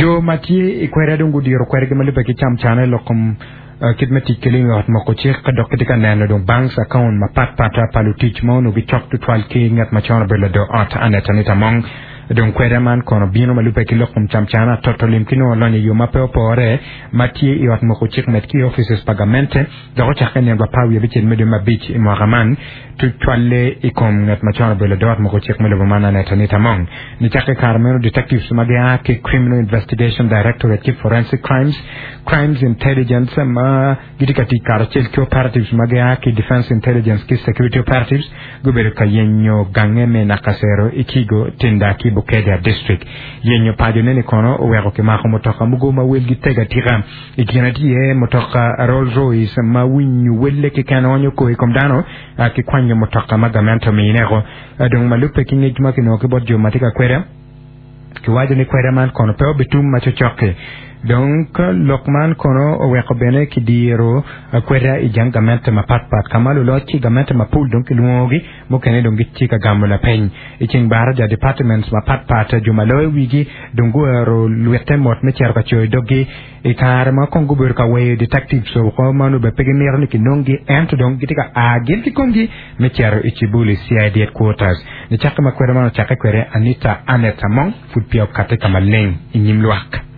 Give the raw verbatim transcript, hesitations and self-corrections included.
Jo ma tye i kweda dong gudiro kwedgi ma lubbe ki camcane lok kom uh, kit me tic ki lim i ot moko cik ka dok gitye ka neno dong banks account mapatpat pa lutic ma onongo gicok tutwal ki ngat macon obedo lado ot Annet Anita Among dong kweda man kono bino ma lubbe ki lok kom camcana toto lim ki nongo lonyo i yo ma pe opore ma tye i ot moko cik med ki offices pa gamente dok ocakke nino apar wiye abicel me dwe me abic i mwaka man tutwalle i kom ngat macon obedo lado ot moko cik me lobo man Annet Anita Among nicakke kare meno detectives ma gia ki Criminal Investigation Directorate ki Forensic Crimes Crimes Intelligence ma gitye ka tic karacel ki operatives ma gia ki Defense Intelligence ki Security Operatives gubedo ka yenyo gange me Nakasero i Kigo Tinda ki Bukedea District yenyo paco neni kono oweko kimako mutoka mogo ma welgi teg atika i kine tye mutoka Rolls Royce ma winyo welle keken onyo kor i kom dano ki kwanyo mutoka ma gamente omineko dong ma lubbe ki ngec ma kinongo ki bot jo ma tye ka kweda kiwaco ni kweda man kono pe obitum ma cocok-ki dong lok man kono oweko bene kidiro kweda i jang gamente mapatpat ka ma luloc ki gamente mapol dong kilwongogi mukene dong gitye ka gamo lapeny i ceng baraja departments mapatpat jo ma loyo wigi dong guero lwite mot me cito ka coyo doggi i kare ma kong gubedo ka weyo detectives oko ma onongo pe gimito ni kinonggi ento dong gitye ka a gin ki komgi me cito i Kibuli C I D headquarters nicakke ma kweda man ocakke kwede Anita Annet Among pud peya okate ka maleng i nyim lwak.